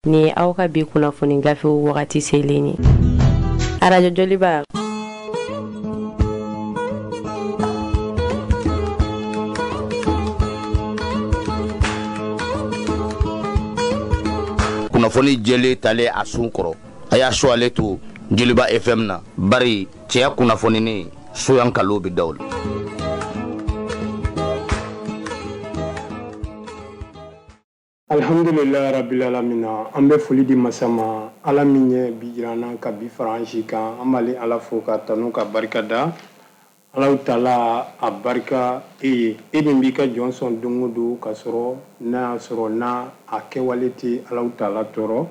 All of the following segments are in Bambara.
Nin ye aw ka bi kunnafoni gafew wagati selen ye. Arajo Joliba. Kunnafoni jɛlen talen a sun kɔrɔ, a y'a su ale to Joliba FM na, bari cɛya kunnafoninen soyan kalo bɛ da o la. Alhamdulilayi rabbil alamina, an bɛ foli di masa ma, Ala min ye bi jira an na ka bi fara an si kan. An b'ale Ala fo ka tanu ka barika da. Alahu taala a barika e ye, e min b'i ka jɔn sɔn don o don ka sɔrɔ n'a y'a sɔrɔ n'a a kɛwale tɛ Alahu taala tɔɔrɔ.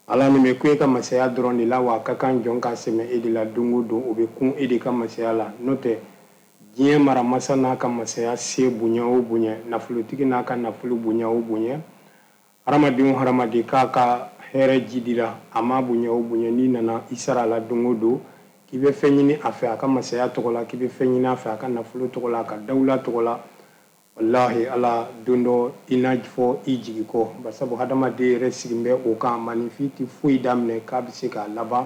Ala nin bɛ kun e ka masaya dɔrɔn de la, wa a ka kan jɔn ka sɛmɛ e de la don o don, o bɛ kun e de ka masaya la. N'o tɛ diɲɛ maramasa n'a ka masaya se bonya o bonya, nafolotigi n'a ka nafolo bonya o bonya, hadamaden o hadamaden k'a ka hɛrɛ jidira, a ma bonya o bonya, n'i nana i sara la don o don k'i bɛ fɛn ɲini a fɛ a ka masaya tɔgɔ la, k'i bɛ fɛn ɲini a fɛ a ka nafolo tɔgɔ la, a ka dawula tɔgɔ la, walahi Ala don dɔ i n'a fɔ i jigi kɔ. Basabu hadamaden yɛrɛ sigin bɛ o kan, maninfin tɛ foyi daminɛ k'a bɛ se k'a laban.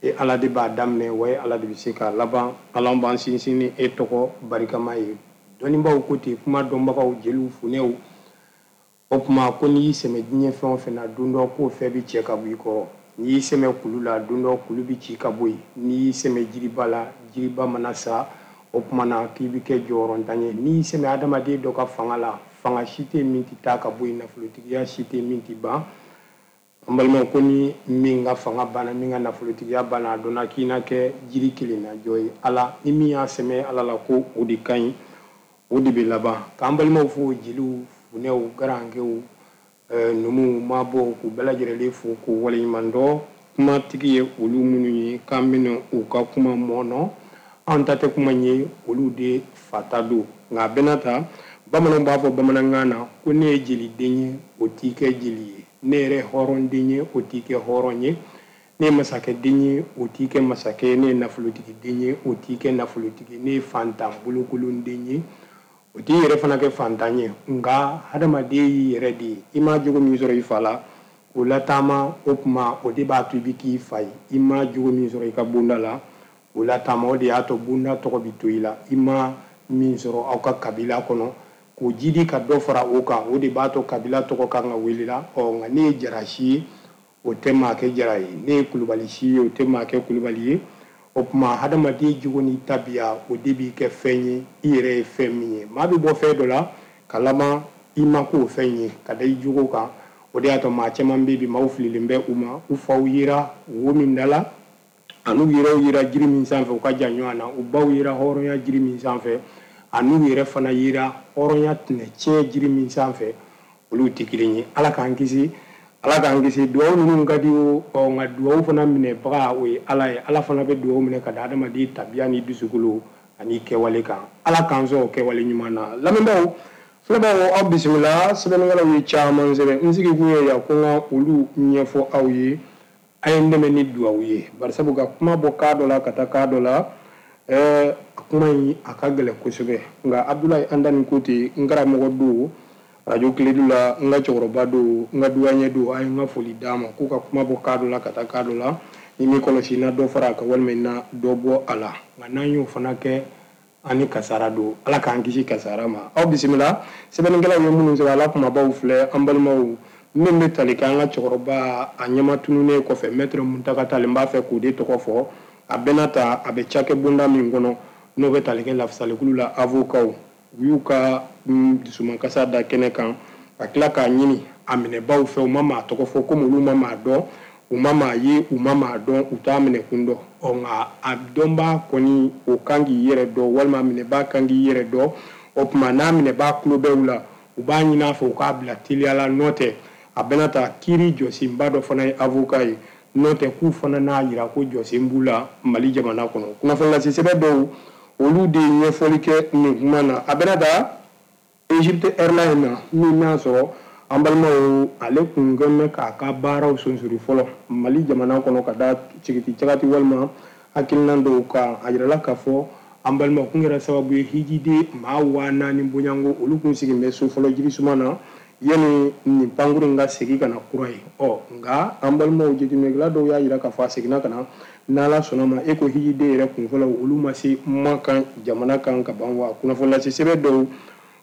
E Ala de b'a daminɛ, wa e Ala de bɛ se k'a laban. Ala b'an sinsin ni e tɔgɔ barikama ye. Dɔnnibaaw ko ten, kuma dɔnbagaw, jeliw, funɛw, o tuma ko n'i y'i sɛmɛ diɲɛ fɛn o fɛn na, don dɔ k'o fɛn bɛ cɛ ka bɔ i kɔrɔ. N'i y'i sɛmɛ kulu la, don dɔ kulu bɛ ci ka bɔ yen. N'i y'i sɛmɛ jiriba la, jiriba mana sa, o tuma na k'i bɛ kɛ jɔyɔrɔntan ye. N'i y'i sɛmɛ adamaden dɔ ka fanga la, fanga si tɛ min tɛ taa ka bɔ yen, nafolotigiya si tɛ min tɛ ban. An balimaw, ko ni min ka fanga banna, min ka nafolotigiya banna, a dɔnna k'i na kɛ jiri kelen na jɔ ye. Ala ni min y'a sɛmɛ Ala la ko o de ka ɲi, o de bɛ laban. K'an balimaw fo, jeliw, funɛw, garankɛw, numuw, mabɔw, k'u bɛɛ lajɛlen fo k'u waleɲuman dɔn. Kumatigi ye olu minnu ye k'an bɛna u ka kuma mɔnɔ, an ta tɛ kuma ye, olu de fata don. Nka a bɛɛ n'a ta, bamananw b'a fɔ bamanankan na ko ne ye jeliden ye, o t'i kɛ jeli ye. Ne yɛrɛ hɔrɔnden ye, o t'i kɛ hɔrɔn ye. Ne ye masakɛden ye, o t'i kɛ masakɛ ye. Ne ye nafolotigiden ye, o t'i kɛ nafolotigi. Ne ye fantan bolokolonden ye, o t'i yɛrɛ fana kɛ fantan ye. Nka hadamaden y'i yɛrɛ de ye. I ma jogo min sɔrɔ i fa la, k'o lataama, o tuma o de b'a to i bɛ k'i fa ye. I ma jogo min sɔrɔ i ka bonda la, k'o lataama, o de y'a to bonda tɔgɔ bɛ to i la. I ma min sɔrɔ aw ka kabila kɔnɔ, k'o jidi ka dɔ fara o kan, o de b'a to kabila tɔgɔ kan ka wele la. Ɔ nka ne ye jara si ye, o tɛ maa kɛ jara ye. Ne ye kulubali si ye, o tɛ maa kɛ kulubali ye. O tuma hadamaden jogo ni tabiya, o de b'i kɛ fɛn ye, i yɛrɛ ye fɛn min ye. Maa bɛ bɔ fɛn dɔ la ka laban i ma k'o fɛn ye ka da i jogo kan. O de y'a to maa caman bɛ bi, maaw fililen bɛ u ma. U faw yera wo min da la, an'u yɛrɛw yera jiri min sanfɛ, u ka jan ɲɔgɔn na. U baw yera hɔrɔnya jiri min sanfɛ, an'u yɛrɛ fana yera hɔrɔnya tɛnɛ tiɲɛ jiri min sanfɛ, olu tɛ kelen ye. Ala k'an kisi, Ala k'an kisi. Duwawu ninnu ka di o, nka duwawu fana minɛbaga o ye Ala ye. Ala fana bɛ duwawu minɛ ka da adamaden tabiya ni dusukolo ani kɛwale kan. Ala k'an sɔn o kɛwale ɲuman na. Lamɛnbaaw, filɛbaaw, aw bisimila. Sɛbɛnnikɛlaw ye caman sɛbɛn. N sigi kun ye yan ko n ka olu ɲɛfɔ aw ye. A ye n dɛmɛ ni duwawu ye, barisabu ka kuma bɔ kan dɔ la ka taa kan dɔ la, kuma in a ka gɛlɛn kosɛbɛ. Nka Abudulayi Andani Kote, n karamɔgɔ don radio Kiledu la, n ka cɛkɔrɔba don, n ka duwaɲɛ don, a ye n ka foli d'a ma k'u ka kuma bɔ kan dɔ la ka taa kan dɔ la. Ni min kɔlɔsi, na dɔ fara a kan walima na dɔ bɔ a la. Nka n'an y'o fana kɛ, an ni kasara don. Ala k'an kisi kasara ma. Aw bisimila. Sɛbɛnnikɛlaw ye minnu sɛbɛn, ala kumabaw filɛ. An balimaw, min bɛ tali kɛ an ka cɛkɔrɔba a ɲɛma tununnen kɔfɛ, Maître Muntaka Tall, n b'a fɛ k'o de tɔgɔ fɔ. A bɛɛ n'a ta, a bɛ cakɛ bonda min kɔnɔ, n'o bɛ tali kɛ lafasalikulu la, avocats, u y'u ka dusumakasa da kɛnɛ kan ka tila k'a ɲini a minɛbaw fɛ. U ma maa tɔgɔ fɔ, komi olu ma maa dɔn, u ma maa ye, u ma maa dɔn, u t'a minɛ kun dɔn. Ɔ nka a dɔnbaa kɔni, o kan k'i yɛrɛ dɔn, walima minɛbaa kan k'i yɛrɛ dɔn. O tuma n'a minɛbaa tulo bɛ u la, u b'a ɲini a fɛ u k'a bila teliya la. N'o tɛ, a bɛna ta kiiri jɔsenba dɔ fana ye avocat ye. N'o tɛ, k'u fana n'a yira ko jɔsen b'u la Mali jamana kɔnɔ. Kunnafoni sɛbɛn dɔw, olu de ye ɲɛfɔli kɛ nin kuma na. A bɛna ta Egypte Airlines na, min n'a sɔrɔ an balimaw, ale kun kɛn bɛ k'a ka baaraw sonsori fɔlɔ Mali jamana kɔnɔ ka da cigiti cagati walima hakilina dɔw kan. A yirala k'a fɔ an balimaw kun kɛra sababu ye hijiden maa 4000 bonyanko, olu kun sigin bɛ so fɔlɔ jirisuma na. yanni nin pankuru in ka segin ka na kura ye. Ɔ nka an balimaw jateminɛkɛla dɔw y'a jira k'a fɔ a seginna ka na n'Ala sɔnna ma e ko hijiden yɛrɛ kunfɔlɔ olu ma se Makan jamana kan ka ban wa kunnafoni lase sɛbɛn dɔw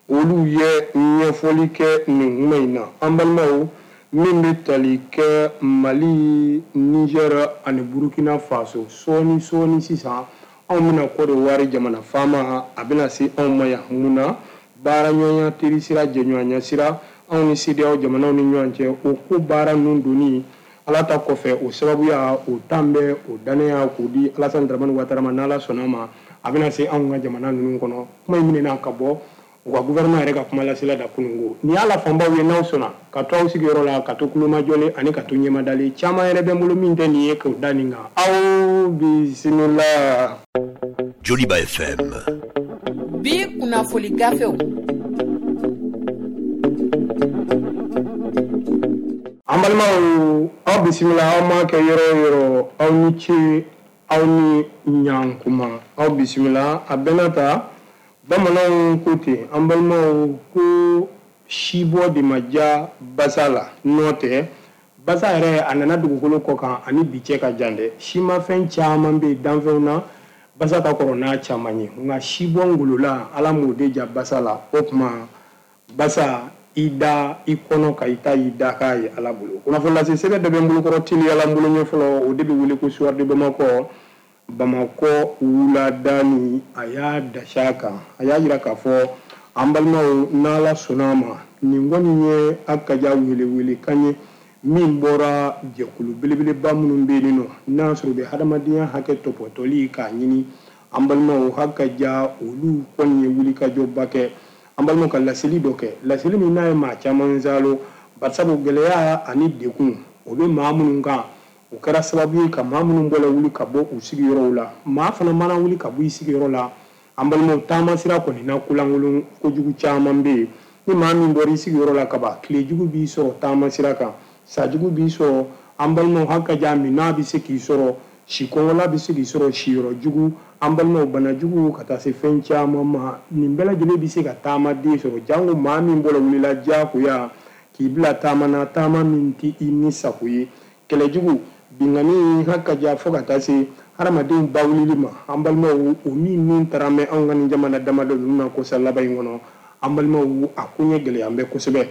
olu ye ɲɛfɔli kɛ nin kuma in na. An balimaw min bɛ tali kɛ Mali, Niger ani Burkina Faso sɔɔni sɔɔni sisan anw bɛna Côte d'Ivoire jamana faama a bɛna se anw ma yan mun na baaraɲɔgɔnya teri sira jɛɲɔgɔnya sira anw ni CEDEAO jamanaw ni ɲɔgɔn cɛ o ko baara ninnu donni Ala ta kɔfɛ o sababuya o tan bɛ o dannaya k'o di Alassane Dramane Ouattara ma n'Ala sɔnna ma a bɛna se anw ka jamana ninnu kɔnɔ. Kuma in minɛna ka bɔ u ka gouvernement yɛrɛ ka kuma lasela da kununko nin y'a la fanbaw ye n'aw sɔnna ka to aw sigiyɔrɔ la ka to kulomajɔlen ani ka to ɲɛmadalen caman yɛrɛ bɛ n bolo min tɛ nin ye k'o da nin kan aw bisimila. Joliba FM. Bi kunnafoni gafew. An balimaw aw bisimila aw ma kɛ yɔrɔ o yɔrɔ aw ni ce aw ni ɲankuma aw bisimila a bɛnna ta bamananw ko ten an balimaw ko sibɔ de ma diya basa la n'o tɛ basa yɛrɛ a nana dugukolo kɔ kan ani bi cɛ ka jan dɛ simafɛn caman bɛ yen danfɛnw na basa ka kɔrɔ n'a caman ye nka sibɔ ngolola Ala m'o de ja basa la o tuma basa i da i kɔnɔ ka i ta i da k'a ye Ala bolo. Kunnafoni lase sɛbɛn dɔ bɛ n bolokɔrɔ teliyala n bolo ɲɛ fɔlɔ o de bɛ wele ko Soir de Bamakɔ Bamakɔ wuladani a y'a dasi a kan a y'a jira k'a fɔ an balimaw n'Ala sɔnna a ma nin kɔni ye a ka ja welewelekan ye min bɔra jɛkulu belebeleba minnu bɛ yen nɔ n'a sɔrɔ u bɛ hadamadenya hakɛ tɔpɔtɔli k'a ɲini an balimaw haka ja olu kɔni ye wulikajɔba kɛ an balimaw ka laseli dɔ kɛ laseli min n'a ye maa caman zalo barisabu gɛlɛya ani degun o bɛ maa minnu kan o kɛra sababu ye ka maa minnu bɔla wuli ka bɔ u sigiyɔrɔw la maa fana mana wuli ka bɔ i sigiyɔrɔ la an balimaw taama sira kɔni na kolankolon kojugu caman bɛ yen ni maa min bɔra i sigiyɔrɔ la kaban tilejugu b'i sɔrɔ taama sira kan sajugu b'i sɔrɔ an balimaw haka ja min n'a bɛ se k'i sɔrɔ si kɔngɔla bɛ se k'i sɔrɔ siyɔrɔ jugu an balimaw bana jugu ka taa se fɛn caman ma nin bɛɛ lajɛlen bɛ se ka taamaden sɔrɔ jango maa min bɔra wulila diyagoya k'i bila taama na taama min tɛ i ni sago ye kɛlɛjugu binkanni haka ja fo ka taa se hadamadenw bawulili ma an balimaw o min nun taara mɛn anw ka nin jamana damadɔ ninnu na kosa laban in kɔnɔ an balimaw a koɲɛ gɛlɛya bɛ kosɛbɛ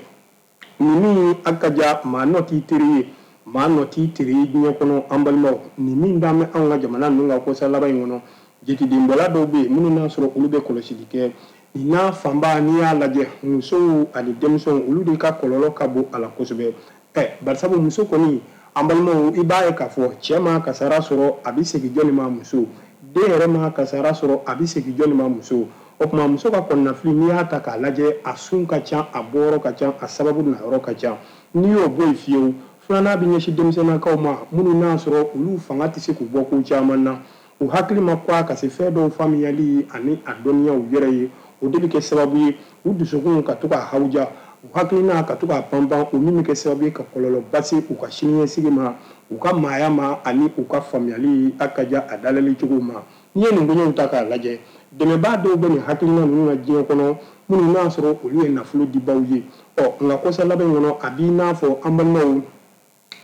nin min haka ja maa nɔ t'i teri ye maa nɔ t'i teri ye diɲɛ kɔnɔ an balimaw nin min dalen bɛ anw ka jamana ninnu ka kosa laban in kɔnɔ jetidenbɔla dɔw bɛ yen minnu n'a sɔrɔ olu bɛ kɔlɔsili kɛ nin n'a fanba n'i y'a lajɛ musow ani denmisɛnw olu de ka kɔlɔlɔ ka bon a la kosɛbɛ ɛ barisabu muso kɔni an balimaw i b'a ye k'a fɔ cɛ ma kasara sɔrɔ a bɛ segin jɔnni ma muso den yɛrɛ ma kasara sɔrɔ a bɛ segin jɔnni ma muso o tuma muso ka kɔnɔnafili n'i y'a ta k'a lajɛ a sun ka ca a bɔyɔrɔ ka ca a sababu nayɔrɔ ka ca n'i y'o bɔ yen fiyewu filanan bɛ ɲɛsin denmisɛnninnakaw ma minnu n'a sɔrɔ olu fanga tɛ se k'u bɔ ko caman na u hakili ma kɔgɔ ka se fɛn dɔw faamuyali ani a dɔnniyaw yɛrɛ ye o de bɛ kɛ sababu ye u dusukun ka to ka hawuja u hakilina ka to ka panpan o min bɛ kɛ sababu ye ka kɔlɔlɔba se u ka siniɲɛsigi ma u ka maaya ma ani u ka faamuyali a ka ja a dalali cogo ma n'i ye nin koɲɛw ta k'a lajɛ dɛmɛbaa dɔw bɛ nin hakilina ninnu na diɲɛ kɔnɔ minnu n'a sɔrɔ olu ye nafolo dibaw ye ɔ nka kɔsa laban in kɔnɔ a b'i n'a fɔ an balimaw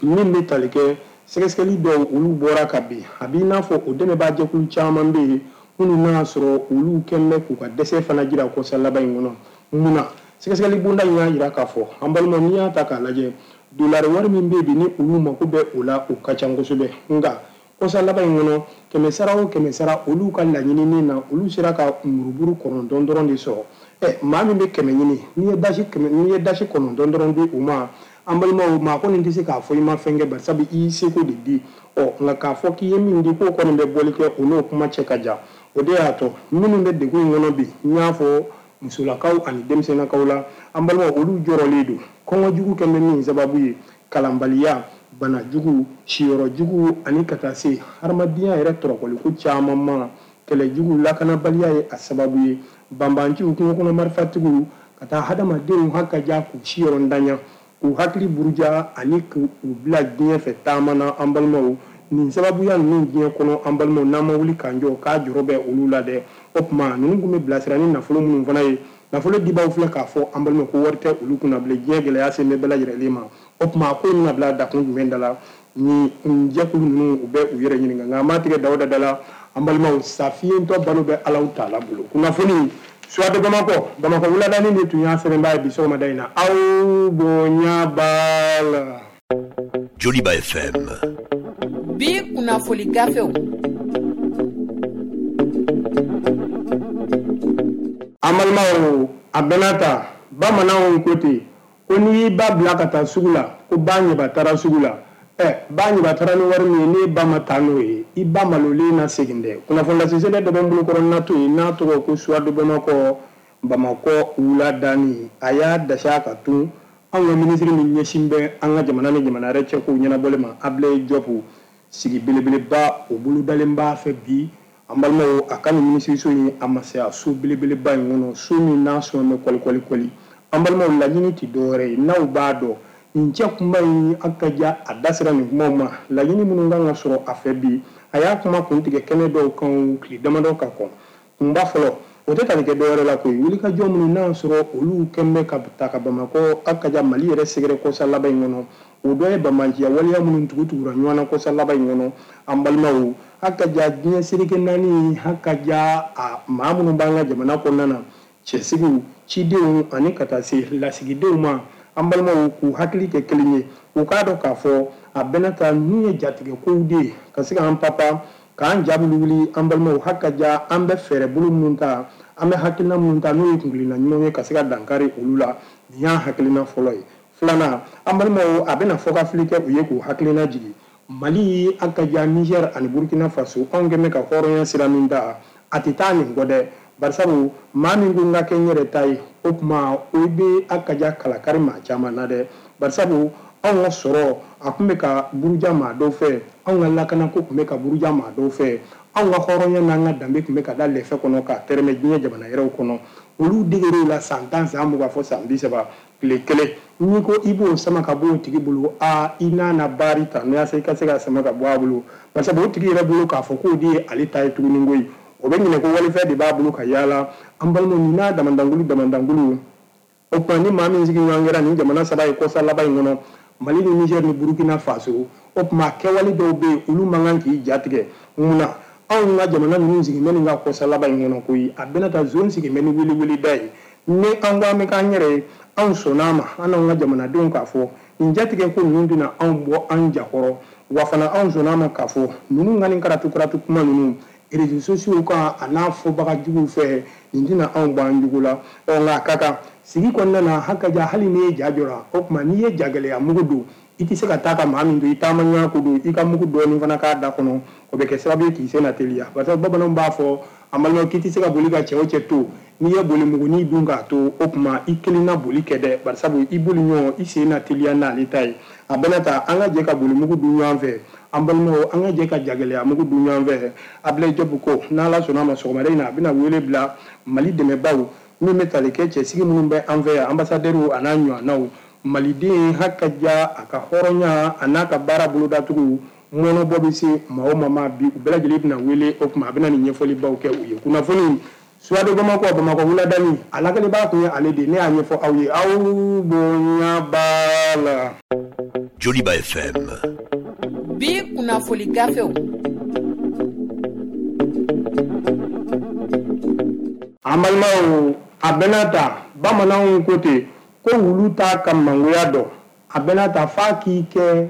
min bɛ tali kɛ sɛgɛsɛgɛli dɔw olu bɔra ka bin a b'i n'a fɔ o dɛmɛbaa jɛkulu caman bɛ yen minnu n'a sɔrɔ olu kɛlen bɛ k'u ka dɛsɛ fana jira kɔsa laban in kɔnɔ mun na sɛgɛsɛgɛli bonda in y'a jira k'a fɔ an balimaw n'i y'a ta k'a lajɛ dolari wari min bɛ yen bi ni olu mako bɛ o la o ka ca kosɛbɛ nka kɔsa laban in kɔnɔ kɛmɛ sara o kɛmɛ sara olu ka laɲinini na olu sera ka muruburu 9 dɔrɔn de sɔrɔ ɛ maa min bɛ 100 ɲini n'i ye dasi 9 dɔrɔn di u ma an balimaw maa kɔni tɛ se k'a fɔ i ma fɛn kɛ barisabu i y'i seko de di ɔ nka k'a fɔ k'i ye min di k'o kɔni bɛ bɔli kɛ o n'o kuma cɛ ka jan o de y'a to minnu bɛ degun in kɔnɔ bi n y'a fɔ musolakaw ani denmisɛnninakaw la an balimaw olu jɔrɔlen don kɔngɔ jugu kɛlen bɛ min sababu ye kalanbaliya bana jugu siyɔrɔ jugu ani ka taa se hadamadenya yɛrɛ tɔrɔkɔliko caman ma kɛlɛ jugu lakanabaliya ye a sababu ye banbanciw kungo kɔnɔ marifatigiw ka taa hadamadenw haka ja k'u siyɔrɔ ntanya k'u hakili buruja ani k'u bila diɲɛ fɛ taama na an balimaw nin sababuya ninnu diɲɛ kɔnɔ an balimaw n'an ma wuli k'an jɔ k'a jɔrɔ bɛ olu la dɛ o tuma ninnu tun bɛ bilasira ni nafolo minnu fana ye Nafolo dibaw filɛ k'a fɔ an balima ko wari tɛ olu kunna bilen, diɲɛ gɛlɛya sen bɛ bɛɛ lajɛlen ma. O tuma ko in bɛna bila dakun jumɛn da la? Ni jɛkulu ninnu u bɛ u yɛrɛ ɲininka, nka an b'a tigɛ Dawuda da la. An balimaw, safiyentɔ balo bɛ Alahu taala bolo. Kunnafoni Soir de Bamako, Bamakɔ wuladani de tun y'a sɛbɛnbaa ye bi sɔgɔmada in na. Aw bonya b'a la. Joliba FM. Bi kunnafoni gafew. An balimaw, a bɛnna ta bamananw ko ten ko n'i y'i ba bila ka taa sugu la ko ba ɲɛba taara sugu la. Ba ɲɛba taara ni wari min ye, n'e ba ma taa n'o ye, i ba malolen na segin dɛ. Kunnafoni lasesɛbɛn dɔ bɛ n bolo kɔrɔ n'a to yen n'a tɔgɔ ko Soir de Bamako, Bamakɔ wuladani. A y'a dasi a ka tun anw ka minisiri min ɲɛsin bɛ an ka jamana ni jamana yɛrɛ cɛ kow ɲɛnabɔli ma, Ablaye Diop, sigi belebeleba o bolodalen b'a fɛ bi. An balimaw, a ka nin minisiriso in a masaya so belebeleba in kɔnɔ, so min n'a sɔn bɛ kɔli kɔli. An balimaw, laɲini tɛ dɔwɛrɛ ye, n'aw b'a dɔn nin cɛ kunba in a ka ja a da sera nin kumaw ma. Laɲini minnu kan ka sɔrɔ a fɛ bi, a y'a kuma kuntigɛ kɛnɛ dɔw kan tile damadɔ ka kɔn. Kunba fɔlɔ, o tɛ tali kɛ dɔwɛrɛ la koyi, wulikajɔ minnu n'a sɔrɔ olu kɛn bɛ ka ta ka Bamakɔ a ka ja Mali yɛrɛ sɛgɛrɛ kɔsa laban in kɔnɔ. O dɔ ye banbaanciya waleya minnu tugutugura ɲɔgɔn na kɔsa laban in kɔnɔ. An balimaw, a ka ja diɲɛ seleke naani, a ka ja a maa minnu b'an ka jamana kɔnɔna na, cɛsigiw, cidenw ani ka taa se lasigidenw ma. An balimaw, k'u hakili kɛ kelen ye, u k'a dɔn k'a fɔ a bɛna ta min ye jatigɛ kow de ye ka se k'an papa k'an ja wuli. An balimaw, ha ka ja an bɛ fɛɛrɛ bolo minnu ta, an bɛ hakilina minnu ta n'o ye kuntilenna ɲumanw ye ka se ka dankari olu la. Nin y'a hakilina fɔlɔ ye. Filanan, an balimaw, a bɛna fɔkafili kɛ u ye k'u hakilina jigin. Mali, a ka ja Niger ani Burkina Faso, anw kɛn bɛ ka hɔrɔnya sira min ta, a tɛ taa nin kɔ dɛ. Barisabu maa min ko n ka kɛ n yɛrɛ ta ye, o tuma o bɛ a ka ja kalakari maa caman na dɛ. Barisabu anw ka sɔrɔ a tun bɛ ka buruja maa dɔw fɛ, anw ka lakanako tun bɛ ka buruja maa dɔw fɛ, anw ka hɔrɔnya n'an ka danbe tun bɛ ka da lɛfɛ kɔnɔ k'a tɛrɛmɛ diɲɛ jamana yɛrɛw kɔnɔ. Olu deger'o la san 10, san 20 fo san 30. Tile kelen n'i ko i b'o sama ka bɔ o tigi bolo, a i n'a na baari ta n'i y'a se i ka se ka sama ka bɔ a bolo. Barisabu o tigi yɛrɛ bolo k'a fɔ k'o de ye ale ta ye tuguni koyi. O bɛ ɲinɛ ko walifɛn de b'a bolo ka yaala. An balimaw, nin n'a damandankulu damandankulu. O tuma ni maa min sigi ɲɔgɔn kɛra nin jamana saba ye kɔsa laban in kɔnɔ, Mali ni Niger ni Burkina Faso, o tuma kɛwale dɔw bɛ yen olu man kan k'i jatigɛ. Mun na anw ka jamana ninnu sigi bɛ nin ka kɔsa laban in kɔnɔ koyi? A bɛna taa zone sigi bɛ ni weleweleda ye. Ni an ko an bɛ k'an yɛrɛ ye, anw sɔnna a ma, an n'anw ka jamanadenw k'a fɔ nin jatigɛ ko ninnu tɛna anw bɔ an jakɔrɔ. Wa fana anw sɔnna a ma k'a fɔ ninnu ka nin karatu karatu kuma ninnu réseaux sociaux kan a n'a fɔbaga juguw fɛ, nin tɛna anw bɔ an jugu la. Nka a ka kan sigi kɔnɔna na, ha ka ja hali n'i ye ja jɔra, o tuma n'i ye jagɛlɛya mugu don, i tɛ se ka taa ka maa min to i taama ɲɔgɔn ko don, i ka mugu dɔɔnin fana k'a da kɔnɔ, o bɛ kɛ sababu ye k'i sen na teliya. Parce que bamananw b'a fɔ an balimaw k'i tɛ se ka boli ka cɛ o cɛ to, n'i ye boli mugunin dun k'a to, o tuma i kelen na boli kɛ dɛ, barisabu i boli ɲɔgɔn i sen na teliya n'ale ta ye. A bɛna ta an ka jɛ ka boli mugu dun ɲɔgɔn fɛ. An balimaw, an ka jɛ ka jagɛlɛya mugu dun ɲɔgɔn fɛ. Ablaye Diop ko n'Ala sɔnna a ma sɔgɔmada in na, a bɛna wele bila Mali dɛmɛbaw min bɛ tali kɛ cɛsigi minnu bɛ an fɛ yan, ambassadeurs a n'a ɲɔgɔnnaw, Maliden ha ka ja a ka hɔrɔnya a n'a ka baara bolodatugu mɔnɔbɔ bɛ se maa o maa ma bi, u bɛɛ lajɛlen bɛna wele. O tuma a bɛna nin ɲɛfɔlibaw kɛ u ye. Kunnafoni Soir de Bamako, Bamakɔ wuladani, a lakalibaa tun ye ale de ye. Ne y'a ɲɛfɔ aw ye, aw bonya b'a la. Joliba FM. Bi kunnafoni gafew. An balimaw, a bɛna ta bamananw ko ten ko wulu t'a ka mangoya dɔn. A bɛna ta f'a k'i kɛ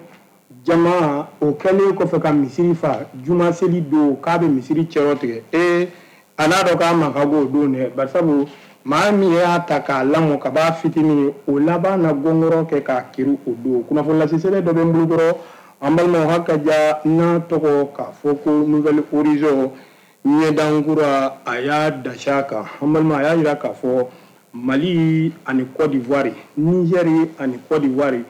jama o kɛlen kɔfɛ ka misiri fa juma seli don k'a bɛ misiri cɛrɔ tigɛ. A n'a dɔn k'a ma ka go o don dɛ, barisabu maa min y'a ta k'a lamɔ ka b'a fitinin, o laban na gɔngɔrɔ kɛ k'a kiri o don. Kunnafoni lasesɛbɛn dɔ bɛ n bolo kɔrɔ, an balimaw, ha ka ja n'a tɔgɔ k'a fɔ ko Nouvel Horizon ɲɛdankura, a y'a dasi a kan. An balima, a y'a jira k'a fɔ Mali ani Côte d'Ivoire, Niger ani Côte d'Ivoire,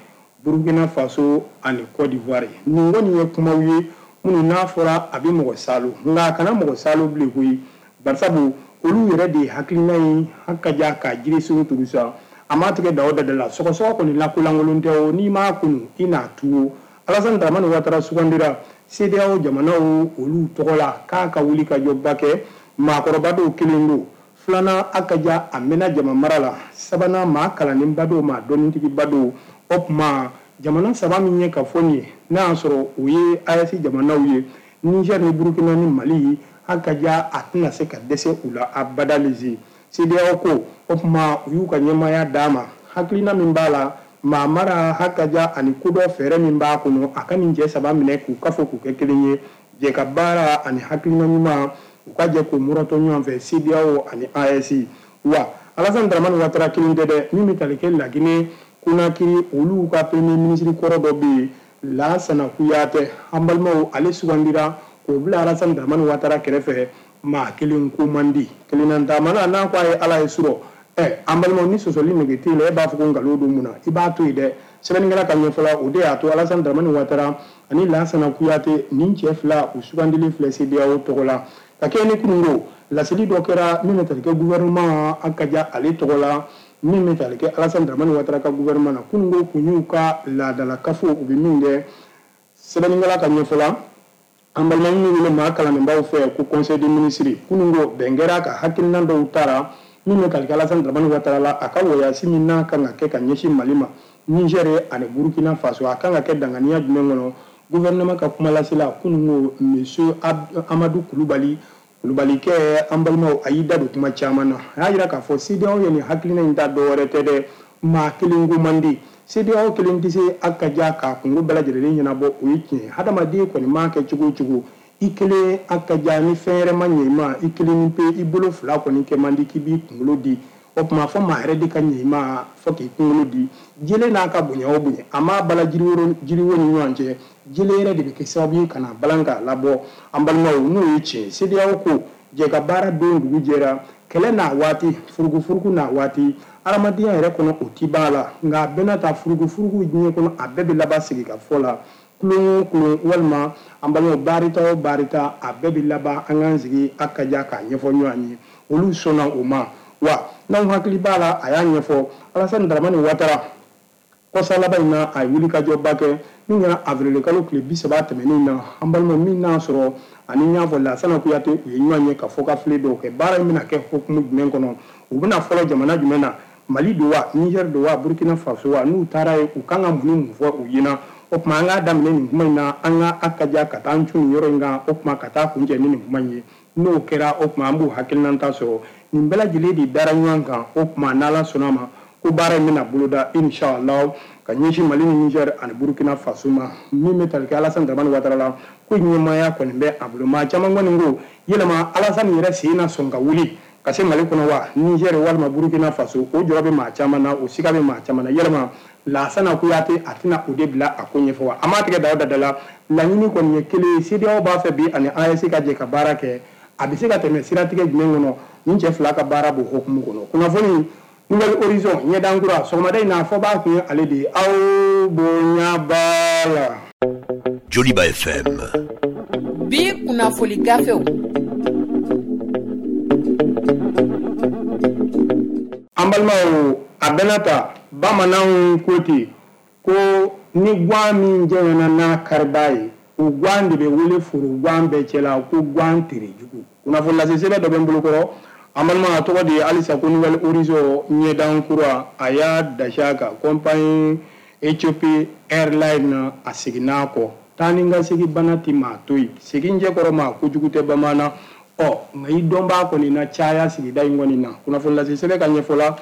Burkina Faso ani Côte d'Ivoire, nin kɔni ye kumaw ye minnu n'a fɔra a bɛ mɔgɔ salo, nka a kana mɔgɔ salo bilen koyi. Barisabu olu yɛrɛ de ye hakilina ye ha ka ja k'a jiri sugu turu sa. A m'a tigɛ da o da la, sɔgɔsɔgɔ kɔni lakolankolon tɛ o, n'i m'a kunu i n'a tu o. Alassane Dramane Ouattara sugandira CEDEAO jamanaw olu tɔgɔ la k'a ka wuli ka jɔba kɛ. Maakɔrɔba dɔw kelen don, Filanan, a ka ja a mɛnna jama mara la. Sabanan, maa kalannenba don, maa dɔnnitigiba don. O tuma jamana saba min ye ka fɔ nin ye, n'a y'a sɔrɔ o ye AES jamanaw ye, Niger ni Burukina ni Mali, a ka ja a tɛna se ka dɛsɛ u la abada. Lise CEDEAO ko, o tuma u y'u ka ɲɛmaaya d'a ma. Hakilina min b'a la maa mara, hakaja ani kodɔn fɛɛrɛ min b'a kɔnɔ, a ka nin cɛ saba minɛ k'u kafo k'u kɛ kelen ye, jɛ ka baara ani hakilina ɲuman, u ka jɛ k'u mɔrɔtɔ ɲɔgɔn fɛ, CEDEAO ani AES. Wa Alassane Dramane Ouattara kelen tɛ dɛ, min bɛ tali kɛ Laginɛ Conakry, olu ka premier ministre kɔrɔ dɔ bɛ yen, Lansana Kouyaté, an balimaw, ale sugandira k'o bila Alassane Dramane Ouattara kɛrɛfɛ. Maa kelen ko man di, kelenna taamana n'a ko a ye Ala ye surɔ. An balimaw, ni sɔsɔli nege t'e la, e b'a fɔ ko nkalon don mun na? I b'a to yen dɛ. Sɛbɛnnikɛla ka ɲɛfɔ, o de y'a to Alassane Dramane Ouattara ani Lansana Kouyaté, nin cɛ fila, u sugandilen filɛ CEDEAO tɔgɔ la. Ka kɛ ni kununko laseli dɔ kɛra min bɛ tali kɛ gouvernement, a ka ja ale tɔgɔ la, min bɛ tali kɛ Alassane Dramane Ouattara ka gouvernement na. Kununko kun y'u ka laadala kafo, u bɛ min kɛ. Sɛbɛnnikɛla ka ɲɛfɔ la, an balima minnu wele maa kalannenbaw fɛ ko conseil des ministres, kununko bɛn kɛra ka hakilina dɔw tara min bɛ tali kɛ Alassane Dramane Ouattara la, a ka voyage min n'a kan ka kɛ ka ɲɛsin Mali ma, Niger ani Burkina Faso, a kan ka kɛ danganiya jumɛn kɔnɔ. Gouvernement ka kumalasela kununko, monsieur Amadou Kulubali, Kulubalikɛ, an balimaw, a y'i da don kuma caman na. A y'a jira k'a fɔ CEDEAO ye nin hakilina in ta, dɔwɛrɛ tɛ dɛ, maa kelen ko man di. CEDEAO kelen tɛ se a ka ja k'a kungo bɛɛ lajɛlen ɲɛnabɔ, o ye tiɲɛ ye. Hadamaden kɔni m'a kɛ cogo o cogo, i kelen a ka ja, ni fɛn yɛrɛ ma ɲɛ i ma, i kelen ni pe, i bolo fila kɔni kɛ man di k'i b'i kunkolo di. O tuma fɔ maa yɛrɛ de ka ɲɛ i ma fɔ k'i kunkolo di. Jele n'a ka bonya o bonya, a m'a bala jiriwo ni ɲɔgɔn cɛ, jele yɛrɛ de bɛ kɛ sababu ye ka na balan k'a labɔ. An balimaw, n'o ye tiɲɛ, CEDEAO ko jɛ ka baara don dugu jɛra, kɛlɛ n'a waati, furugufurugu n'a waati, adamadenya yɛrɛ kɔnɔ o ti b'a la, nka a bɛɛ n'a ta, furugufurugu diɲɛ kɔnɔ, a bɛɛ bɛ laban sigi ka fɔ la. Kulon o kulon, walima an balimaw, baarita o baarita, a bɛɛ bɛ laban an k'an sigi a ka ja k'a ɲɛfɔ ɲɔgɔn ye. Olu sɔnna o ma. Wa n'anw hakili b'a la, a y'a ɲɛfɔ Alassane Dramane Ouattara, kɔsa laban in na, a ye wulikajɔba kɛ min kɛra avril kalo tile 30 tɛmɛnen na. An balimaw, min n'a sɔrɔ ani n y'a fɔ Lansana Kouyaté, u ye ɲɔgɔn ye ka fɔ ka file dɔw kɛ. Baara in bɛna kɛ hukumu jumɛn kɔnɔ? U bɛna fɔlɔ jamana jumɛn na? Mali don wa, Niger don wa, Burkina Faso wa? N'u taara yen, u kan ka mun ni mun fɔ u ɲɛna? O tuma an k'a daminɛ nin kuma in na, an ka a ka ja ka taa an cun nin yɔrɔ in kan, o tuma ka taa kuncɛ ni nin kuma in ye. N'o kɛra, o tuma an b'u hakilinata sɔrɔ. Nin bɛɛ lajɛlen de dara ɲɔgɔn kan. O tuma n'Ala sɔnna ma, ko baara in bɛna boloda inshallah ka ɲɛsin Mali ni Niger ani Burkina Faso ma. Min bɛ tali kɛ Alassane Dramane Ouattara la, ko ɲɛmaaya kɔni bɛ a bolo. Maa caman kɔni ko yɛlɛma Alassane yɛrɛ sen na sɔn ka wuli ka se Mali kɔnɔ wa, Niger walima Burkina Faso? O jɔrɔ bɛ maa caman na, o siga bɛ maa caman na. Yɛlɛma Lansana Kouyaté, a tɛna o de bila a ko ɲɛfɔ wa? A m'a tigɛ da o da la. Laɲini kɔni ye kelen ye, CEDEAO b'a fɛ bi ani AES ka jɛ ka baara kɛ. A bɛ se ka tɛmɛ siratigɛ jumɛn kɔnɔ? Nin cɛ fila ka baara b'o hukumu kɔnɔ. Kunnafoni Nouvel Horizon ɲɛdankura sɔgɔmada in na, fɔ b'a kun ye ale de ye. Aw bonya b'a la. Joliba FM. Bi kunnafoli gafew. An balimaw, a bɛna ta bamananw ko ten ko ni gwan min jɛngɛnna n'a kariba ye, o gwan de bɛ wele foro gwan bɛɛ cɛla ko gwan terejugu. Kunnafoni lase sɛbɛn dɔ bɛ n bolokɔrɔ, an balima, a tɔgɔ de ye halisa ko Nouvel Horizon ɲɛdankura. A y'a dasi a kan compagnie Ethiopie Airlines, a seginna a kɔ. Taa ni ka segin bana ti maa to yen, segin cɛkɔrɔ maa kojugu tɛ bamanan. Ɔ nka i dɔnbaa kɔni na caya sigida in kɔni na. Kunnafoni lase sɛbɛn ka ɲɛfɔ la,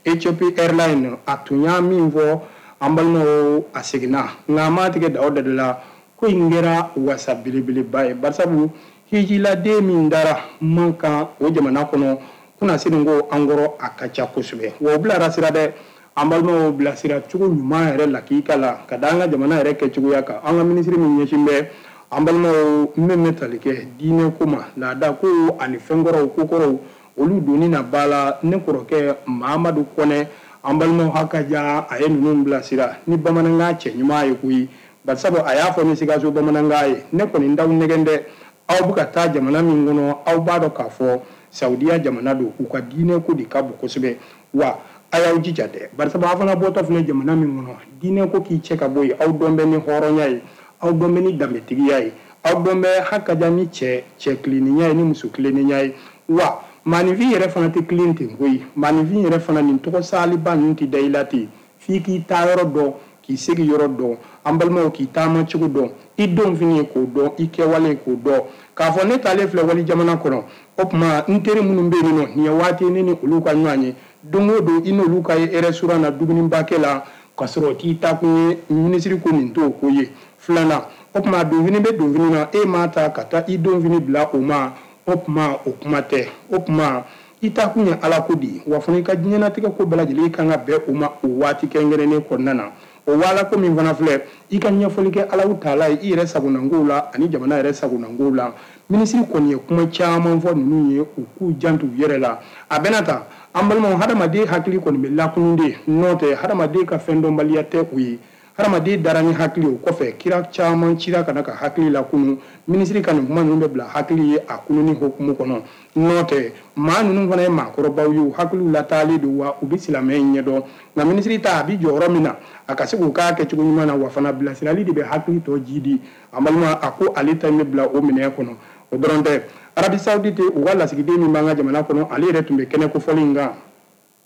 Ethiopie Airlines, a tun y'a min fɔ, an balimaw, a seginna, nka a m'a tigɛ da o da de la. Ko in kɛra wasa belebeleba ye, barisabu hijiladen min dara man kan o jamana kɔnɔ kunnasini ko an kɔrɔ, a ka ca kosɛbɛ. Wa o bilara sira dɛ, an balimaw, bilasira cogo ɲuman yɛrɛ la k'i ka la ka da an ka jamana yɛrɛ kɛcogoya kan. An ka minisiri min ɲɛsin bɛ, an balimaw, min bɛ tali kɛ diinɛ ko ma, laada ko ani fɛnkɔrɔw, kokɔrɔw, olu donni na ba la, ne kɔrɔkɛ Mahamadu Kɔnɛ, an balimaw, hakaja a ye ninnu bilasira ni bamanankan cɛ ɲuman ye koyi. Barisabu a y'a fɔ ni Sikaso bamanankan ye: ne kɔni t'aw nɛgɛn dɛ, aw bɛ ka taa jamana min kɔnɔ, aw b'a dɔn k'a fɔ Saudiya jamana don, u ka diinɛ ko de ka bon kosɛbɛ. Wa a y'aw jija dɛ, barisabu aw fana bɔtɔ filɛ jamana min kɔnɔ, diinɛ ko k'i cɛ ka bɔ yen, aw dɔn bɛ ni hɔrɔnya ye, aw dɔn bɛ ni danbetigiya ye, aw dɔn bɛ hakaja ni cɛ cɛ tilennenya ye, ni muso tilennenya ye. Wa Maaninfin yɛrɛ fana tɛ tilen ten koyi. Maaninfin yɛrɛ fana nin tɔgɔ saliba ninnu tɛ da i la ten. F'i k'i taayɔrɔ dɔn, k'i segiyɔrɔ dɔn, an balimaw, k'i taamacogo dɔn, i donfini k'o dɔn, i kɛwale k'o dɔn. K'a fɔ ne taalen filɛ wali jamana kɔnɔ, o tuma n teri minnu bɛ yen nɔ, nin ye waati ne ni olu ka ɲɔgɔn ye don o don, i n'olu ka ye restaurant na dumuniba kɛ la, k'a sɔrɔ k'i taakun ye minisiri ko nin t'o ko ye. Filanan, o tuma donfini bɛ donfini na, e m'a ta ka taa i donfini bila o ma, o tuma o kuma tɛ. O tuma i taakun ye Ala ko de ye, wa fana i ka diɲɛlatigɛ ko bɛɛ lajɛlen kan ka bɛn o ma o waati kɛrɛnkɛrɛnnen kɔnɔna na. O waala ko min fana filɛ, i ka ɲɛfɔli kɛ Alahu taala ye i yɛrɛ sagonankow la ani jamana yɛrɛ sagonankow la. Minisiri kɔni ye kuma caman fɔ ninnu ye, u k'u janto u yɛrɛ la. A bɛna ta, an balimaw, hadamaden hakili kɔni bɛ lakunun de, n'o tɛ hadamaden ka fɛn dɔnbaliya tɛ o ye. Hadamaden dara ni hakili, o kɔfɛ kira caman cira ka na ka hakili lakunu. Minisiri ka nin kuma ninnu bɛ bila hakili ye a kununi hukumu kɔnɔ. N'o tɛ maa ninnu fana ye maakɔrɔbaw ye, u hakiliw lataalen don, wa u bɛ silamɛya in ɲɛdɔn. Nka minisiri ta a bɛ jɔyɔrɔ min na, a ka se k'o k'a kɛcogo ɲuman na, wa fana bilasirali de bɛ hakili tɔ jidi. An balima, a ko ale ta in bɛ bila o minɛn kɔnɔ. O dɔrɔn tɛ, Arabie Saoudite u ka lasigiden min b'an ka jamana kɔnɔ, ale yɛrɛ tun bɛ kɛnɛ kofɔli in kan.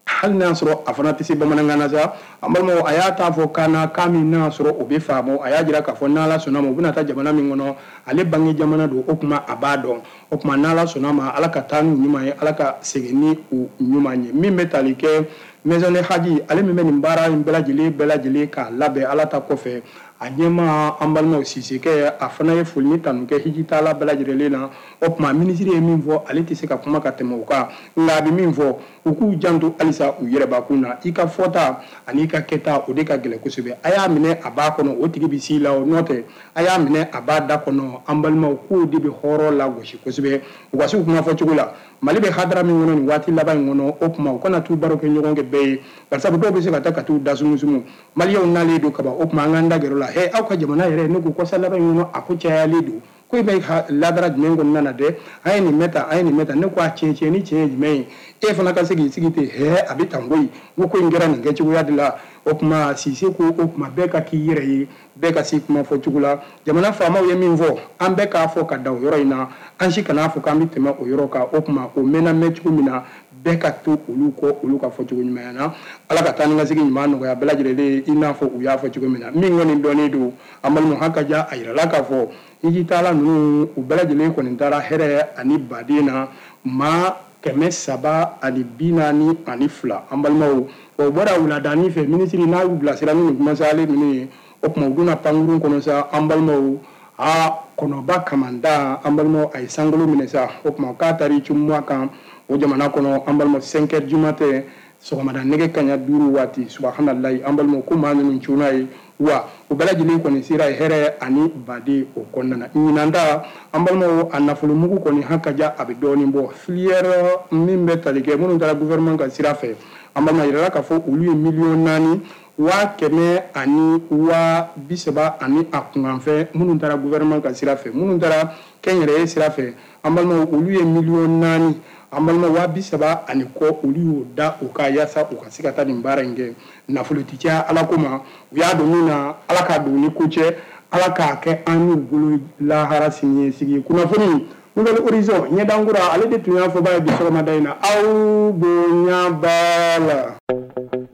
Hali n'a sɔrɔ a fana tɛ se bamanankan na sa, an balimaw, a y'a ta fɔ kan na, kan min n'a sɔrɔ o bɛ faamu. A y'a jira k'a fɔ n'Ala sɔnna ma, u bɛna taa jamana min kɔnɔ, ale bange jamana don, o tuma a b'a dɔn. O tuma n'Ala sɔnna ma, Ala ka taa n'u ɲuman ye, Ala ka segin ni u ɲuman ye. Min bɛ tali kɛ Maison de Hadji, ale min bɛ nin baara in bɛɛ lajɛlen k'a labɛn Ala ta kɔfɛ, a ɲɛmaa an balimaw Sisekɛ, a fana ye foli ni tanu kɛ hijitaala bɛɛ lajɛlen na. O tuma minisiri ye min fɔ, ale tɛ se ka kuma ka tɛmɛ o kan, nka a bɛ min fɔ, u k'u janto halisa u yɛrɛbakun na. I ka fɔta ani i ka kɛta, o de ka gɛlɛn kosɛbɛ. A y'a minɛ a b'a kɔnɔ, o tigi bɛ s'i la, o n'o tɛ a y'a minɛ a b'a da kɔnɔ. An balimaw, k'o de bɛ hɔrɔn lagosi kosɛbɛ. U ka se u kuma fɔcogo la, Mali bɛ hadara min kɔnɔ nin waati laban in kɔnɔ, o tuma u kana t'u baro kɛ ɲɔgɔn kɛ bɛɛ ye, barisabu dɔw bɛ se ka taa ka t'u da sumusumu. Maliyɛnw nalen don kaban, o tuma an k'an da gɛrɛ o la. Hɛ, aw ka jamana yɛrɛ, ne ko kɔsa laban in kɔnɔ, a ko cayalen don. Ko i bɛ ladara jumɛn kɔnɔna na dɛ? An ye nin mɛn tan, an ye nin mɛn tan. Ne ko a tiɲɛ ni tiɲɛ ye jumɛn ye? E fana ka se k'i sigi ten, hɛ, a bɛ tan koyi. N ko ko in kɛra nin kɛcogoya de la. O tuma Sise ko o tuma bɛɛ ka k'i yɛrɛ ye, bɛɛ ka se kuma fɔcogo la. Jamana faamaw ye min fɔ, an bɛɛ k'a fɔ ka da o yɔrɔ in na. An si kan'a fɔ k'an bɛ tɛmɛ o yɔrɔ kan. O tuma o mɛnna mɛn cogo min na, bɛɛ ka to olu kɔ, olu ka fɔcogo ɲumanya na. Ala ka taa ni ka segin ɲuman nɔgɔya bɛɛ lajɛlen, i n'a fɔ u y'a fɔ cogo min na. Min kɔni dɔnnen don, an balimaw, haka ja a yirala k'a fɔ hijitaala ninnu u bɛɛ lajɛlen kɔni taara hɛrɛ ani baden na, maa 342. An balimaw, wa u bɔra wuladani fɛ, minisiri n'a y'u bilasira ni nin kumasalen ninnu ye, o tuma u donna pankurun kɔnɔ sa. An balimaw, a kɔnɔba kamanda, an balimaw, a ye sankolo minɛ sa. O tuma k'a taara i cun kan o jamana kɔnɔ, an balimaw, 5 heures du matin, sɔgɔmada nɛgɛ kaɲa 5 waati. Subahanallahi, an balimaw, ko maa ninnu cunna ye, wa u bɛɛ lajɛlen kɔni sera hɛrɛ ani baden o kɔnɔna na. Ɲinan ta, an balimaw, a nafolomugu kɔni haka ja, a bɛ dɔɔnin bɔ. Filière min bɛ tali kɛ minnu taara gouvernement ka sira fɛ, an balima, yirala k'a fɔ olu ye miliyɔn naani waa kɛmɛ ani waa bi saba ani a kunkanfɛn minnu taara gouvernement ka sira fɛ. Minnu taara kɛnyɛrɛye sira fɛ, an balimaw, olu ye miliyɔn naani, an balima, waa bi saba ani kɔ, olu y'o da u kan yaasa u ka se ka taa nin baara in kɛ. Nafolo ti caya Ala ko ma, u y'a don min na, Ala k'a don ni ko cɛ, Ala k'a kɛ an n'u bolo lahara siniɲɛsigi. Kunnafoni Nouvel Horizon ɲɛdankura, ale de tun y'a fɔba ye bi sɔgɔmada in na. Aw bonya b'a la.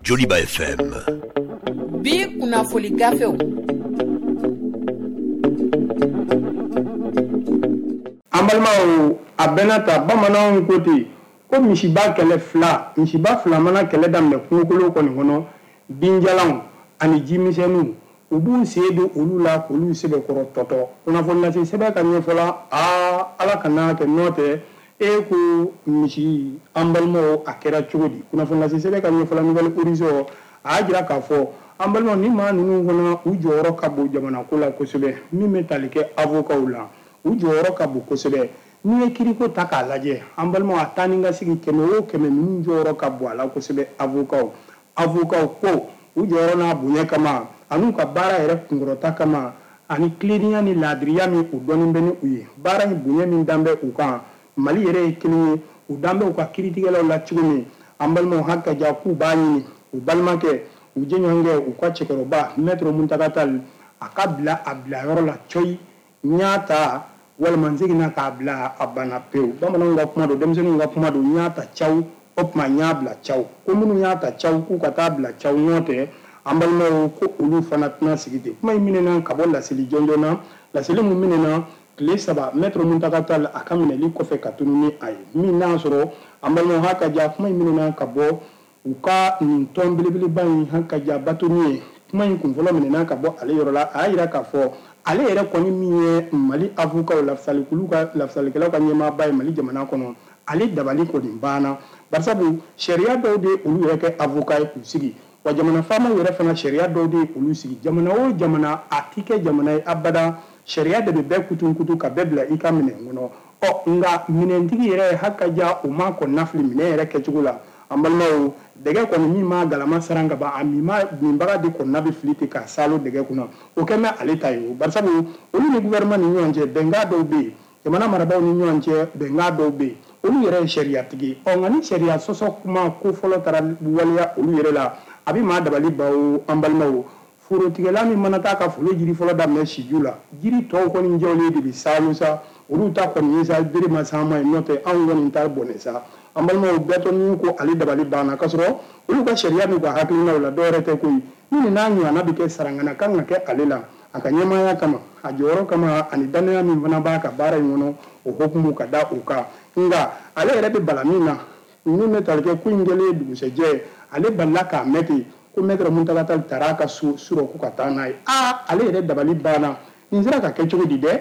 Joliba FM. Bi kunnafoli gafew. An balimaw, a bɛnna ta, bamananw ko ten ko misiba kɛlɛ fila, misiba fila mana kɛlɛ daminɛ kungokolo kɔni kɔnɔ, binjalanw ani jimisɛnninw, u b'u sen don olu la k'olu sɛbɛkɔrɔ tɔtɔ. Kunnafoni lase sɛbɛn ka ɲɛfɔla, aa, Ala kana kɛ n'o tɛ, e ko misi, an balimaw, a kɛra cogo di? Kunnafoni lase sɛbɛn ka ɲɛfɔla Nouvel Horizon, a y'a jira k'a fɔ an balimaw, ni maa ninnu fana u jɔyɔrɔ ka bon jamana ko la kosɛbɛ. Min bɛ tali kɛ avocats la, u jɔyɔrɔ ka bon kosɛbɛ. N'i ye kiriko ta k'a lajɛ, an balimaw, a taa ni ka segin 100 o 100, ninnu jɔyɔrɔ ka bon a la kosɛbɛ. Avocats ko u jɔyɔrɔ n'a bonya kama, an'u ka baara yɛrɛ kunkɔrɔta kama, ani tilennenya ni laadiriya min u dɔnnen bɛ ni u ye, baara in bonya min dan bɛ u kan, Mali yɛrɛ ye kelen ye, u dan bɛ u ka kiiritigɛlaw la cogo min. An balimaw, haka ja k'u b'a ɲini u balimakɛ, u jɛɲɔgɔnkɛ, u ka cɛkɔrɔba Maître Mountaga Tall, a ka bila a bilayɔrɔ la cɔyi. N y'a ta Walima n seginna k'a bila a banna pewu. Bamananw ka kuma don, denmisɛnninw ka kuma don, n y'a ta caw, o tuma n y'a bila caw. Ko minnu y'a ta caw k'u ka taa bila caw, n'o tɛ an balimaw ko olu fana tɛna sigi ten. Kuma in minɛna ka bɔ laseli jɔnjɔn na, laseli mun minɛna tile 3 Maître Mountaga Tall a ka minɛli kɔfɛ ka tunu ni a ye. Min n'a sɔrɔ an balimaw ha ka ja, kuma in minɛna ka bɔ u ka nin tɔn belebeleba in ha ka ja bâtonnier ye. Kuma in kunfɔlɔ minɛna ka bɔ ale yɔrɔ la, a y'a jira k'a fɔ ale yɛrɛ kɔni min ye Mali avocat lafasalikulu ka lafasalikɛlaw ka ɲɛmaaba ye Mali jamana kɔnɔ, ale dabali kɔni banna. Barisabu sariya dɔw de olu yɛrɛ kɛ avocat ye k'u sigi, wa jamana faamaw yɛrɛ fana sariya dɔw de olu sigi. Jamana o jamana a ti kɛ jamana ye abada, sariya de bɛ bɛɛ kutunkutu ka bɛɛ bila i ka minɛn kɔnɔ. Ɔ nka minɛntigi yɛrɛ haka ja o ma kɔnɔna fili minɛn yɛrɛ kɛcogo la. An balimaw, dɛgɛ kɔni min ma galama saran ka ban, a minbaga de kɔnɔna bɛ fili ten k'a salo dɛgɛ kunna, o kɛ mɛ ale ta ye o. Barisabu olu ni gouvernement ni ɲɔgɔn cɛ bɛnkan dɔw bɛ yen, jamana marabaaw ni ɲɔgɔn cɛ bɛnkan dɔw bɛ yen, olu yɛrɛ ye sariyatigi. Ɔ nka ni sariya sɔsɔ kuma ko fɔlɔ taara waleya olu yɛrɛ la, a bɛ maa dabali ban o. An balimaw, forotigɛla min mana taa ka foro jiri fɔlɔ daminɛ siju la, jiri tɔw kɔni jɔlen de bɛ salo sa, olu ta kɔni ye sa bere ma s'an ma yen, n'o tɛ anw kɔni ta bɔnɛ sa. An balimaw, bâtonnier ko ale dabali banna, k'a sɔrɔ olu ka sariya n'u ka hakilinaw la dɔwɛrɛ tɛ koyi. Ni nin n'a ɲɔgɔnna bɛ kɛ sarangana kan ka kɛ ale la, a ka ɲɛmaaya kama, a jɔyɔrɔ kama, ani danaya min fana b'a ka baara in kɔnɔ, o hukumu ka da o kan. Nka ale yɛrɛ bɛ bala min na, min bɛ tali kɛ ko in kɛlen dugusɛjɛ, ale balila k'a mɛn ten ko Maître Mountaga Tall taara a ka so surɔ ko ka taa n'a ye. Aa, ale yɛrɛ dabali banna. Nin sera ka kɛ cogo di dɛ?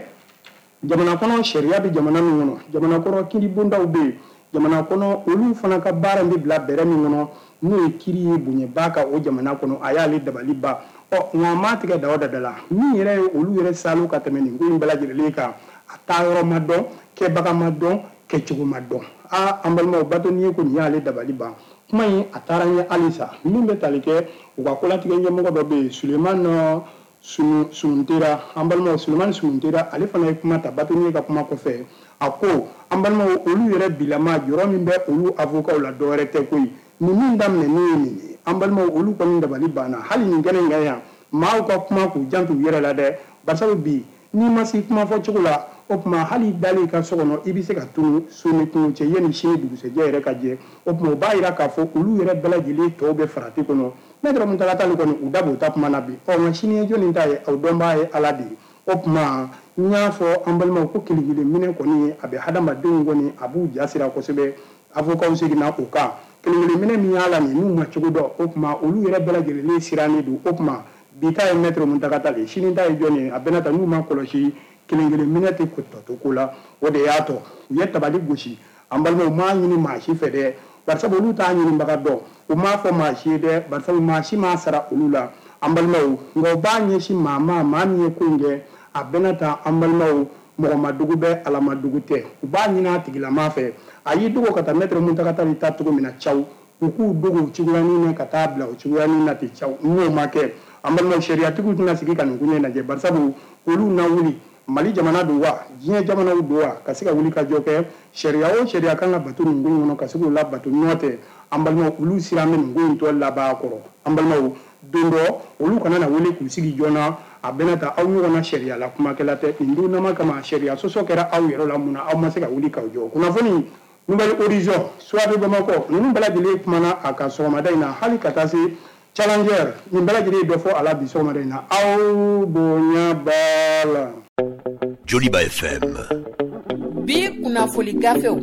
Jamana kɔnɔ sariya bɛ jamana min kɔnɔ, jamana kɔnɔ kiiribondaw bɛ yen, jamana kɔnɔ olu fana ka baara in bɛ bila bɛrɛ min kɔnɔ, n'o ye kiiri ye bonyaba ka o jamana kɔnɔ, a y'ale dabali ban. Ɔ nka a m'a tigɛ da o da la, min yɛrɛ ye olu yɛrɛ salo ka tɛmɛ nin ko in bɛɛ lajɛlen kan, a taa yɔrɔ ma dɔn, kɛbaga ma dɔn, kɛcogo ma dɔn. Aa, an balimaw, bâtonnier ko nin y'ale dabali ban. Kuma in a taara ɲɛ halisa. Min bɛ tali kɛ u ka kolatigɛ ɲɛmɔgɔ dɔ bɛ yen, Sulemani Sununtera. An balimaw, Sulemani Sununtera, ale fana ye kuma ta bâtonnier ka kuma kɔfɛ. A ko an balimaw, olu yɛrɛ bilama jɔyɔrɔ min bɛ olu avocat la dɔwɛrɛ tɛ koyi. Nin min daminɛnen ye nin ye, an balimaw, olu kɔni dabali banna. Hali nin kɛnɛ in kan yan, maaw ka kuma k'u janto u yɛrɛ la dɛ. Barisabu bi n'i ma se kuma fɔ cogo la, o tuma hali dalen i ka so kɔnɔ, i bɛ se ka tunu so ni kungo cɛ yanni sini dugusɛjɛ yɛrɛ ka jɛ. O tuma o b'a jira k'a fɔ olu yɛrɛ bɛɛ lajɛlen tɔw bɛ farati kɔnɔ. Maître Mountaga Tall kɔni u da b'o ta kuma na bi. Ɔ nka sini ye jɔnni ta ye, o dɔnbaa ye Ala de ye. O tuma n y'a fɔ an balimaw ko kelen kelen minɛ kɔni a bɛ hadamadenw kɔni a b'u ja sira kosɛbɛ. Avocats seginna o kan. Kelen kelen minɛ min y'a la nin, n'u ma cogo dɔn, o tuma olu yɛrɛ bɛɛ lajɛlen sirannen don. O tuma bi ta ye Maître Mountaga Tall ye, sini ta ye jɔn ye, a bɛna ta n'u ma kɔlɔsi kelen kelen minɛ tɛ tɔ to ko la. O de y'a tɔ u ye tabali gosi. An balimaw, m'a ɲini maa si fɛ dɛ, barisabu olu t'a ɲinibaga dɔn, u m'a fɔ maa si ye dɛ, barisabu maa si m'a sara olu la. An balimaw, nka u b'a ɲɛsin maa ma, maa min ye ko in kɛ, a bɛna ta an balimaw, mɔgɔ ma dugu bɛ, Ala ma dugu tɛ. U b'a ɲini a tigilama fɛ, a y'i dogo ka taa Maître Mountaga Tall ta cogo min na caw, u k'u dogo o cogoyanin na ka taa bila o cogoyanin na ten caw. N'o ma kɛ, an balimaw, sariyatigiw tɛna sigi ka nin koɲɛ lajɛ, barisabu olu na wuli. Mali jamana don wa, diɲɛ jamanaw don wa, ka se ka wuli ka jɔ kɛ. Sariya o sariya kan ka bato nin ko in kɔnɔ, ka se k'o labato. N'o tɛ, an balimaw, olu siran bɛ nin ko in tɔ laban kɔrɔ. An balimaw, don dɔ olu kana na wele k'u sigi joona, a bɛna ta aw ɲɔgɔnna sariya la kumakɛla tɛ. Nin don nama kama sariya sɔsɔ kɛra aw yɛrɛ la, mun na aw ma se ka wuli k'aw jɔ? Kunnafoni Nouvel Horizon, Soir de Bamako, ninnu bɛɛ lajɛlen kumana a kan sɔgɔmada in na, hali ka taa se Challenger, nin bɛɛ lajɛlen ye dɔ fɔ a la bi sɔgɔmada in na. Aw bonya b'a la. Joliba FM. Bi kunnafoli gafew.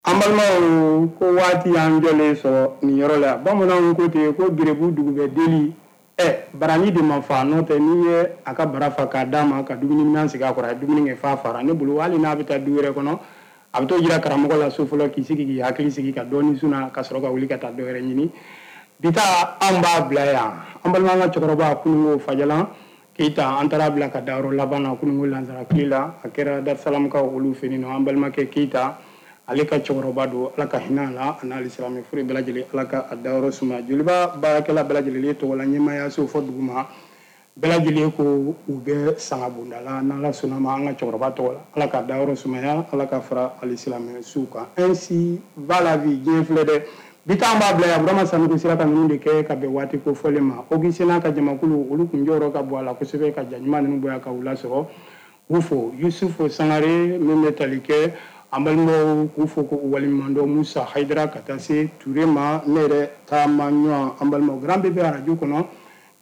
An balimaw, ko waati y'an jɔlen sɔrɔ nin yɔrɔ la. Bamananw ko ten ko gerebu dugu bɛ deli. Barani de ma fa, n'o tɛ n'i ye a ka bara fa k'a d'a ma ka dumuni minɛn sigi a kɔrɔ, a ye dumuni kɛ f'a fara. Ne bolo hali n'a bɛ taa du wɛrɛ kɔnɔ, a bɛ t'o jira karamɔgɔ la so fɔlɔ, k'i sigi k'i hakili sigi ka dɔɔni suna ka sɔrɔ ka wuli ka taa dɔ wɛrɛ ɲini. Bi ta anw b'a bila yan. An balima an ka cɛkɔrɔba kununko Fajalan Keyita, an taara bila ka da yɔrɔ laban na kununko lansara tile la, a kɛra Darusalamkaw olu fɛ yen nɔ. An balimakɛ Keyita, ale ka cɛkɔrɔba don, Ala ka hinɛ a la, a n'ale silamɛ fure bɛɛ lajɛlen, Ala ka a dayɔrɔ suma. Joliba baarakɛla bɛɛ lajɛlen tɔgɔ la, ɲɛmaayaso fɔ duguma bɛɛ lajɛlen ko u bɛ sanga bonda la, n'Ala sɔnna ma, an ka cɛkɔrɔba tɔgɔ la, Ala ka dayɔrɔ sumaya, Ala ka fara ale silamɛ suw kan. Ainsi va la vie, diɲɛ filɛ dɛ. Bi ta an b'a bila yan. Burama Sanogo sera ka ninnu de kɛ ka bɛn waati ko fɔlen ma. Augustin n'a ka jamakulu, olu kun jɔyɔrɔ ka bon a la kosɛbɛ ka ja ɲuman ninnu bɔ yan ka u lasɔrɔ. K'u fo, Yusufu Sangare min bɛ tali kɛ an balimaw, k'u fo k'u waleɲuman dɔn, Musa Hayidara ka taa se Ture ma, ne yɛrɛ taama ɲɔgɔn an balimaw Grand Bébé arajo kɔnɔ,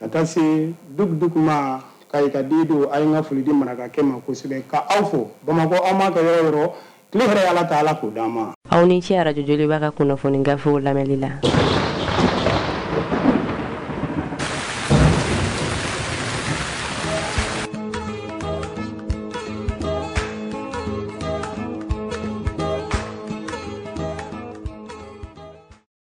ka taa se Duk Duk ma Kayi ka di don. A ye n ka foli di marakakɛ ma kosɛbɛ, ka aw fo Bamakɔ, aw m'a kɛ yɔrɔ yɔrɔ, tile hɛrɛ, Ala ta, Ala k'o d'an ma. Aw ni ce arajo Joliba ka kunnafoni gafew lamɛnli la.